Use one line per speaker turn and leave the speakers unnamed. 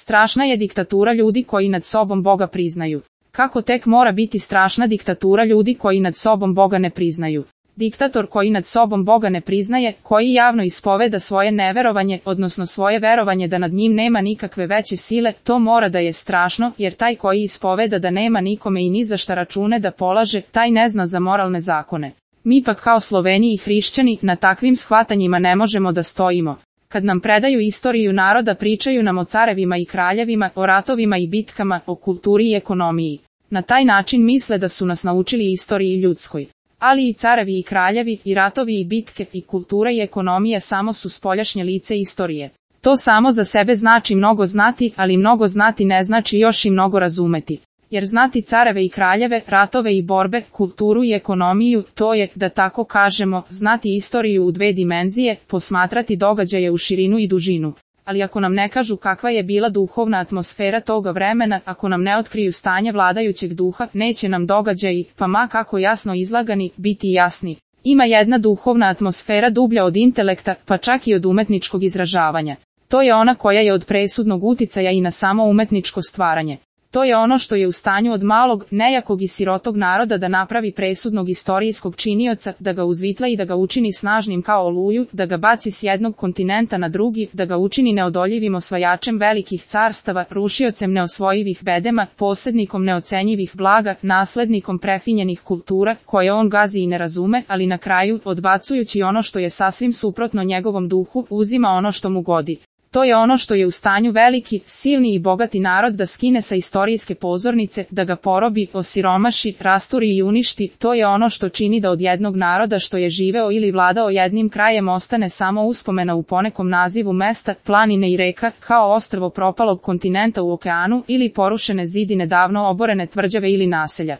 Strašna je diktatura ljudi koji nad sobom Boga priznaju. Kako tek mora biti strašna diktatura ljudi koji nad sobom Boga ne priznaju? Diktator koji nad sobom Boga ne priznaje, koji javno ispoveda svoje neverovanje, odnosno svoje verovanje da nad njim nema nikakve veće sile, to mora da je strašno, jer taj koji ispoveda da nema nikome i ni za šta račune da polaže, taj ne zna za moralne zakone. Mi pak kao Sloveni i hrišćani na takvim shvatanjima ne možemo da stojimo. Kad nam predaju istoriju naroda, pričaju nam o carevima i kraljevima, o ratovima i bitkama, o kulturi i ekonomiji. Na taj način misle da su nas naučili istoriji ljudskoj. Ali i carevi i kraljevi, i ratovi i bitke, i kultura i ekonomija samo su spoljašnje lice istorije. To samo za sebe znači mnogo znati, ali mnogo znati ne znači još i mnogo razumeti. Jer znati careve i kraljeve, ratove i borbe, kulturu i ekonomiju, to je, da tako kažemo, znati istoriju u dve dimenzije, posmatrati događaje u širinu i dužinu. Ali ako nam ne kažu kakva je bila duhovna atmosfera toga vremena, ako nam ne otkriju stanje vladajućeg duha, neće nam događaji, pa ma kako jasno izlagani, biti jasni. Ima jedna duhovna atmosfera dublja od intelekta, pa čak i od umetničkog izražavanja. To je ona koja je od presudnog uticaja i na samo umetničko stvaranje. To je ono što je u stanju od malog, nejakog i sirotog naroda da napravi presudnog istorijskog činioca, da ga uzvitla i da ga učini snažnim kao oluju, da ga baci s jednog kontinenta na drugi, da ga učini neodoljivim osvajačem velikih carstava, rušiocem neosvojivih bedema, posjednikom neocenjivih blaga, naslednikom prefinjenih kultura, koje on gazi i ne razume, ali na kraju, odbacujući ono što je sasvim suprotno njegovom duhu, uzima ono što mu godi. To je ono što je u stanju veliki, silni i bogati narod da skine sa istorijske pozornice, da ga porobi, osiromaši, rasturi i uništi. To je ono što čini da od jednog naroda što je živeo ili vladao jednim krajem ostane samo uspomena u ponekom nazivu mesta, planine i reka, kao ostrvo propalog kontinenta u okeanu ili porušene zidine davno oborene tvrđave ili naselja.